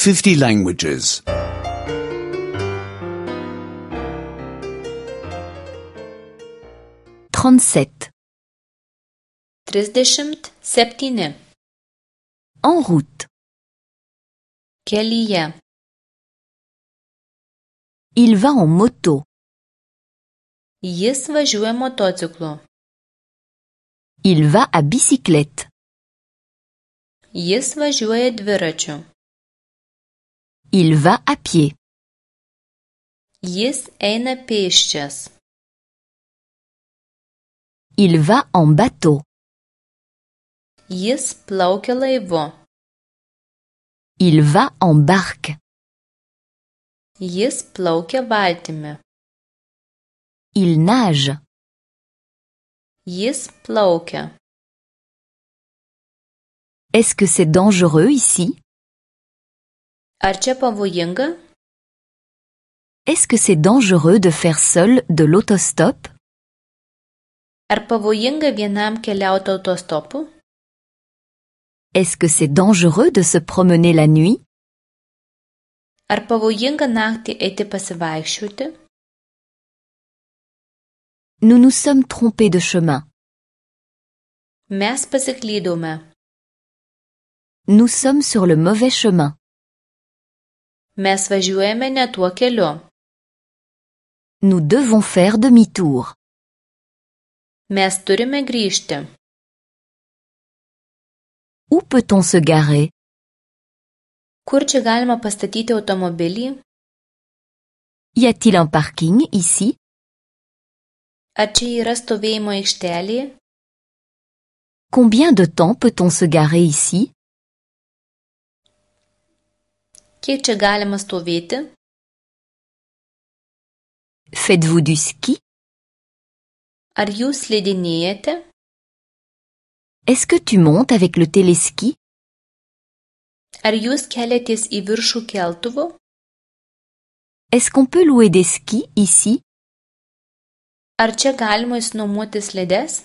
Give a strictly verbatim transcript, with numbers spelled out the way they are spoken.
fifty languages. trente-sept. Trisdešimt septyni. En route. Kelyje. Il va en moto. Jis važiuoja motociklu. Il va à bicyclette. Jis važiuoja dviračiu. Il va à pied. Jis eina pėsčias. Il va en bateau. Jis plaukia laivu. Il va en barque. Jis plaukia valtimi. Il nage. Jis plaukia. Est-ce que c'est dangereux ici? Ar čia pavojinga? Est-ce que c'est dangereux de faire seul de l'autostop? Ar pavojinga vienam keliauti autostopu? Est-ce que c'est dangereux de se promener la nuit? Ar pavojinga naktį eiti pasivaikščioti? Nous nous sommes trompés de chemin. Mes pasiklydome. Nous sommes sur le mauvais chemin. Mes važiuojame ne tuo keliu. Nous devons faire demi-tour. Mes turime grįžti. Où peut-on se garer? Kur čia galima pastatyti automobilį? Y a-t-il un parking ici? Ar čia yra stovėjimo aikštelė? Combien de temps peut-on se garer ici? Kiek čia galima stovėti? Faites-vous du ski? Ar jūs slidinėjate? Est-ce que tu montes avec le téléski? Ar jūs keliatės į viršų keltuvu? Est-ce qu'on peut louer des skis ici? Ar čia galima išsinuomoti slides?